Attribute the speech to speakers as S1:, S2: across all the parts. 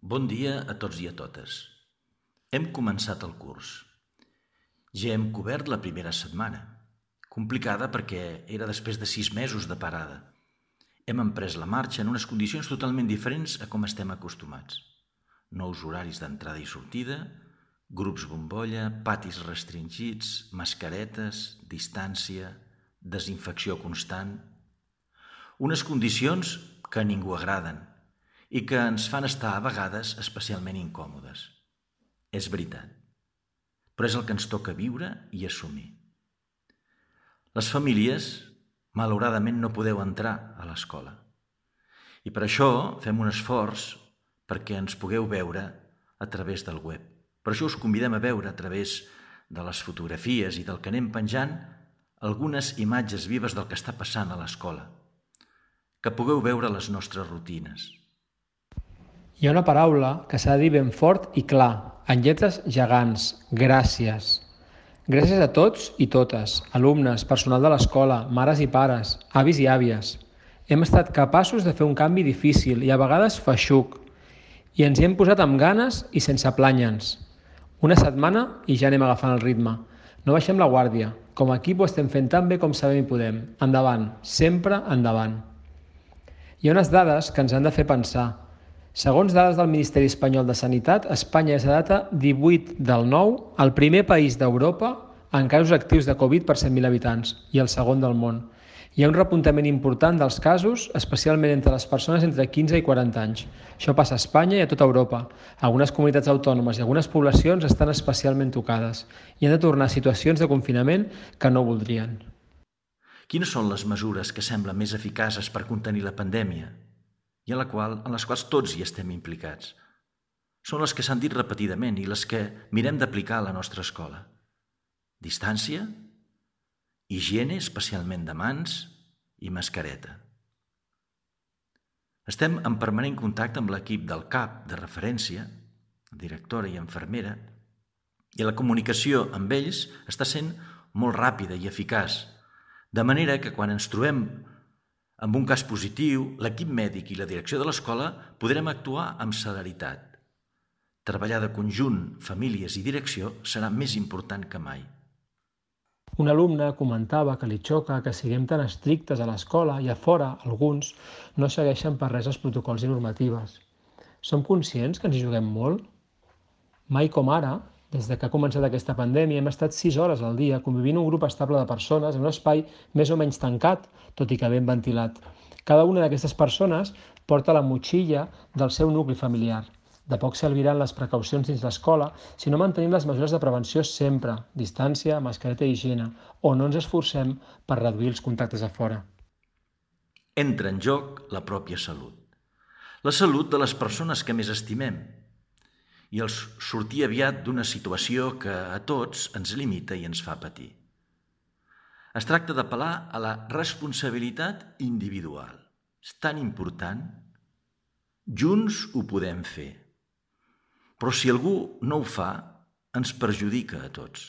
S1: Bon dia a tots i a totes. Hem començat el curs. Ja hem cobert la primera setmana, complicada perquè era després de 6 mesos de parada. Hem emprès la marxa en unes condicions totalment diferents a com estem acostumats. Nous horaris d'entrada i sortida, grups bombolla, patis restringits, mascaretes, distància, desinfecció constant. Unes condicions que a ningú agraden i que ens fan estar a vegades especialment incòmodes. És veritat, però és el que ens toca viure i assumir. Les famílies, malauradament, no podeu entrar a l'escola. I per això fem un esforç perquè ens pugueu veure a través del web. Per això us convidem a veure a través de les fotografies i del que anem penjant algunes imatges vives del que està passant a l'escola, que pugueu veure les nostres rutines.
S2: Hi ha una paraula que s'ha de dir ben fort i clar, en lletres gegants: gràcies. Gràcies a tots i totes, alumnes, personal de l'escola, mares i pares, avis i àvies. Hem estat capaços de fer un canvi difícil i a vegades feixuc, i ens hi hem posat amb ganes i sense plànyer-nos. Una setmana i ja anem agafant el ritme. No baixem la guàrdia. Com a equip ho estem fent tan bé com sabem i podem. Endavant, sempre endavant. Hi ha unes dades que ens han de fer pensar. Segons dades del Ministeri Espanyol de Sanitat, Espanya és a data 18/9 el primer país d'Europa en casos actius de Covid per 100.000 habitants i el segon del món. Hi ha un repuntament important dels casos, especialment entre les persones entre 15 i 40 anys. Això passa a Espanya i a tota Europa. Algunes comunitats autònomes i algunes poblacions estan especialment tocades i han de tornar a situacions de confinament que no voldrien.
S1: Quines són les mesures que semblen més eficaces per contenir la pandèmia i en les quals tots hi estem implicats? Són les que s'han dit repetidament i les que mirem d'aplicar a la nostra escola. Distància, higiene, especialment de mans, i mascareta. Estem en permanent contacte amb l'equip del CAP de referència, directora i infermera, i la comunicació amb ells està sent molt ràpida i eficaç, de manera que quan ens trobem amb un cas positiu, l'equip mèdic i la direcció de l'escola podrem actuar amb celeritat. Treballar de conjunt, famílies i direcció serà més important que mai.
S2: Un alumne comentava que li xoca que siguem tan estrictes a l'escola i a fora, alguns, no segueixen per res els protocols i normatives. Som conscients que ens hi juguem molt? Mai com ara, des que ha començat aquesta pandèmia, hem estat 6 hores al dia convivint un grup estable de persones en un espai més o menys tancat, tot i que ben ventilat. Cada una d'aquestes persones porta la motxilla del seu nucli familiar. De poc serviran les precaucions dins l'escola si no mantenim les mesures de prevenció sempre, distància, mascareta i higiene, o no ens esforcem per reduir els contactes a fora.
S1: Entra en joc la pròpia salut. La salut de les persones que més estimem i els sortir aviat d'una situació que a tots ens limita i ens fa patir. Es tracta d'apel·lar a la responsabilitat individual. És tan important. Junts ho podem fer. Però si algú no ho fa, ens perjudica a tots.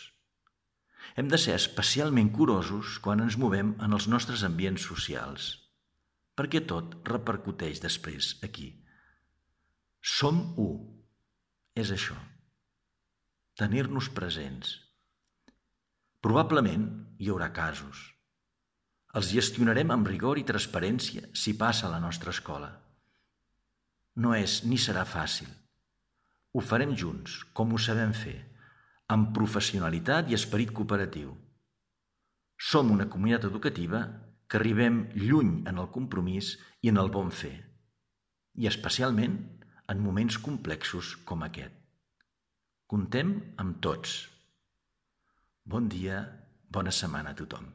S1: Hem de ser especialment curosos quan ens movem en els nostres ambients socials, perquè tot repercuteix després aquí. Som u. És això. Tenir-nos presents. Probablement hi haurà casos. Els gestionarem amb rigor i transparència si passa a la nostra escola. No és ni serà fàcil. Ho farem junts, com ho sabem fer, amb professionalitat i esperit cooperatiu. Som una comunitat educativa que arribem lluny en el compromís i en el bon fer, i especialment en moments complexos com aquest. Comptem amb tots. Bon dia, bona setmana a tothom.